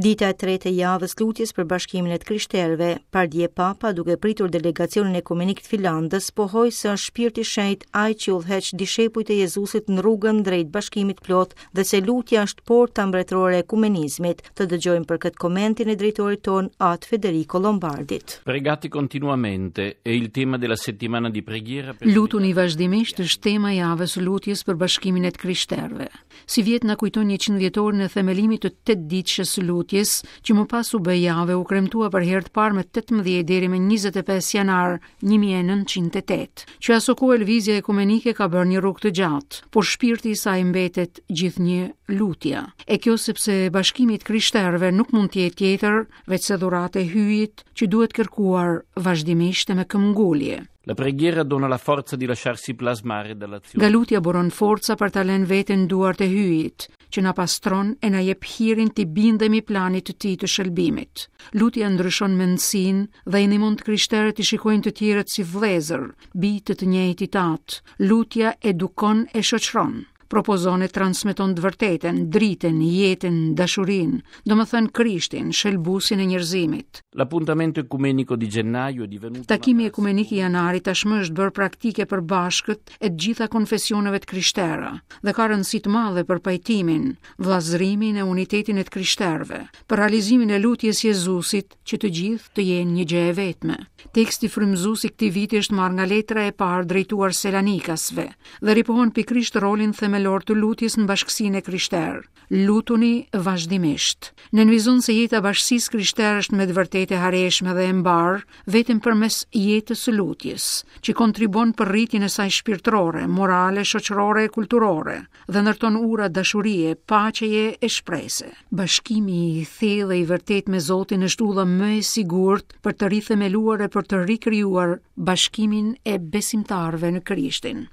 Dita e tretë e javës lutjes për bashkimin e të krishterëve, pardje Papa duke pritur delegacionin ekumenik të Finlandës, pohoi se është Shpirti i Shenjtë ai që udhëheq dishepujt e Jezusit në rrugën drejt bashkimit të plotë dhe se lutja është porta mbretërore e ekumenizmit. Të dëgjojmë për këtë komentin e drejtorit tonë At Federico Lombardit. Pregate continuamente è il tema della settimana di preghiera per Lutuni vazhdimisht është tema e javës së lutjes për bashkimin e të krishterëve. Sivjet na kujton 100 vjetorin e themelimit të tetëditëshes së lutjes, që më pas u bë javë e u kremtua për herë të parë më 18 deri më 25 janar 1908. Që asokohe lëvizja ekumenike ka bërë një rrugë të gjatë, por shpirti i saj mbetet gjithnjë lutja. E kjo sepse bashkimi i të krishterëve nuk mund të jetë tjetër veçse dhuratë e Hyjit që duhet kërkuar vazhdimisht e me këmbëngulje. La preghiera dona la forza di lasciarsi plasmare dall'azione. Nga lutja buron forca për ta lënë veten në duart e Hyjit, që na pastron e na jep hirin t'i bindemi planit të tij të shëlbimit. Lutja ndryshon mendësinë dhe i ndihmon të krishterët t'i shikojnë të tjerët si vëllezër, bij të të njëjtit Atë. Lutja edukon e shoqëron. Propozon e transmeton të vërtetën, dritën, jetën, dashurinë, domethënë Krishtin, shëlbuesin e njerëzimit. L'appuntamento ecumenico di gennaio è divenuto Takimi ekumenik i janarit tashmë është bërë praktikë e përbashkët e të gjitha konfesioneve të krishtera dhe ka rëndësi të madhe për pajtimin, vëllazërimin e unitetin e të krishterëve, për realizimin e lutjes Jezusit që të gjithë të jenë një gjë e vetme. Teksti frymëzues i këtij viti është marrë nga letra e parë drejtuar Selanikasve dhe ripohon pikërisht rolin themelor të lutjes në bashkësinë e krishterë. Lutuni vazhdimisht. Nënvizon se jeta e bashkësisë krishterë është me të vërtetë e hareshme dhe e mbarë vetëm përmes jetës së lutjes, që kontribuon për rritjen e saj shpirtërore, morale, shoqërore e kulturore dhe ndërton ura dashurie, paqeje e shprese. Bashkimi i thellë e i vërtetë me Zotin është udha më e sigurt për të rithemeluar e për të rikrijuar bashkimin e besimtarëve në Krishtin.